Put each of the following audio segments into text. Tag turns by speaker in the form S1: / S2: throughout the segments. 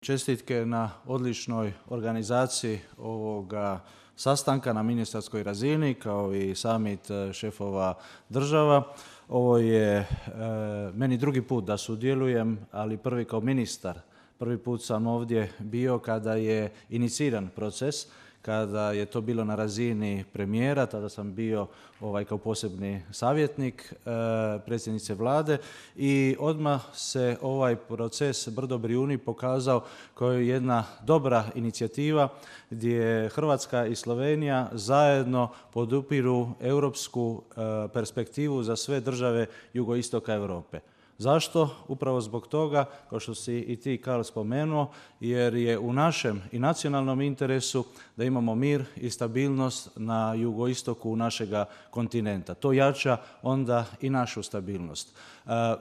S1: Čestitke na odličnoj organizaciji ovoga sastanka na ministarskoj razini kao i summit šefova država. Ovo je meni drugi put da sudjelujem, ali prvi kao ministar. Prvi put sam ovdje bio kada je iniciran proces, kada je to bilo na razini premijera, tada sam bio kao posebni savjetnik predsjednice Vlade i odmah se ovaj proces Brdo Brijuni pokazao kao jedna dobra inicijativa gdje Hrvatska i Slovenija zajedno podupiru europsku perspektivu za sve države jugoistoka Europe. Zašto? Upravo zbog toga, kao što si i ti, Karl, spomenuo, jer je u našem i nacionalnom interesu da imamo mir i stabilnost na jugoistoku našega kontinenta. To jača onda i našu stabilnost.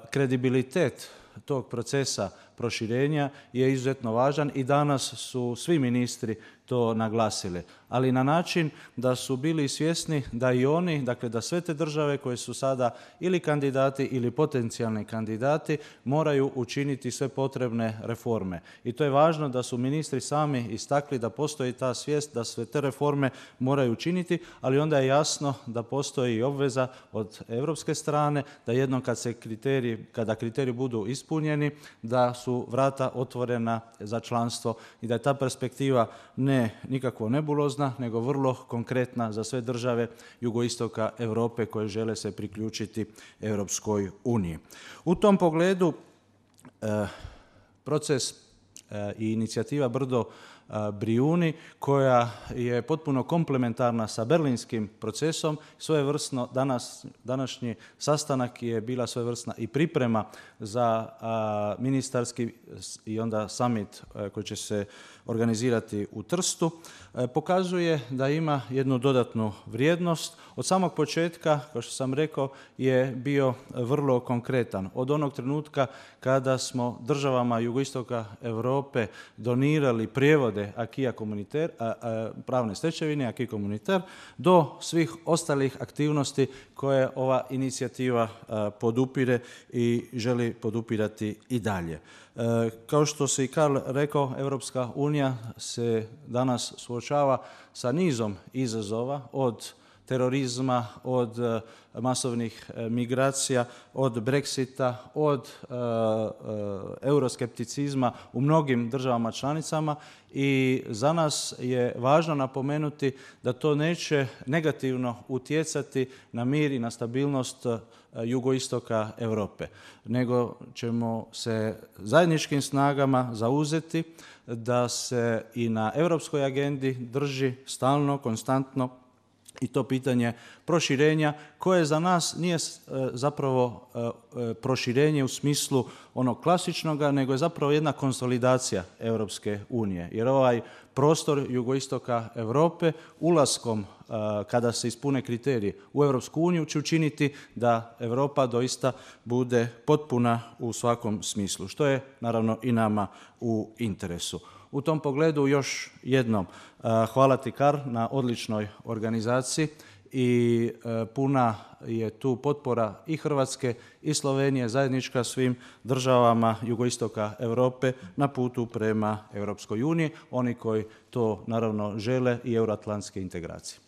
S1: Kredibilitet tog procesa proširenja je izuzetno važan i danas su svi ministri to naglasili, ali na način da su bili svjesni da i oni, dakle da sve te države koje su sada ili kandidati ili potencijalni kandidati moraju učiniti sve potrebne reforme. I to je važno da su ministri sami istakli da postoji ta svijest da sve te reforme moraju učiniti, ali onda je jasno da postoji i obveza od europske strane da jednom kada kriteriji budu ispunjeni, da su vrata otvorena za članstvo i da je ta perspektiva ne nikakvo nebulozna, nego vrlo konkretna za sve države jugoistoka Europe koje žele se priključiti Europskoj uniji. U tom pogledu proces i inicijativa Brdo Brijuni, koja je potpuno komplementarna sa berlinskim procesom, svojevrsno današnji sastanak je bila svojevrsna i priprema za ministarski i onda summit koji će se organizirati u Trstu, pokazuje da ima jednu dodatnu vrijednost. Od samog početka, kao što sam rekao, je bio vrlo konkretan. Od onog trenutka kada smo državama jugoistoka Europe donirali prijevode acquis communautaire, pravne stečevine, acquis communautaire, do svih ostalih aktivnosti koje ova inicijativa podupire i želi podupirati i dalje. Kao što se i Karl rekao, Europska unija se danas suočava sa nizom izazova, od terorizma, od masovnih migracija, od Brexita, od euroskepticizma u mnogim državama članicama i za nas je važno napomenuti da to neće negativno utjecati na mir i na stabilnost jugoistoka Europe, nego ćemo se zajedničkim snagama zauzeti da se i na europskoj agendi drži stalno, konstantno i to pitanje proširenja koje za nas nije zapravo proširenje u smislu onog klasičnoga, nego je zapravo jedna konsolidacija Europske unije. Jer ovaj prostor jugoistoka Europe ulaskom kada se ispune kriteriji u Europsku uniju će učiniti da Europa doista bude potpuna u svakom smislu, što je naravno i nama u interesu. U tom pogledu još jednom hvala ti, Karl, na odličnoj organizaciji i puna je tu potpora i Hrvatske i Slovenije zajednička svim državama jugoistoka Europe na putu prema Europskoj uniji, oni koji to naravno žele i euroatlantske integracije.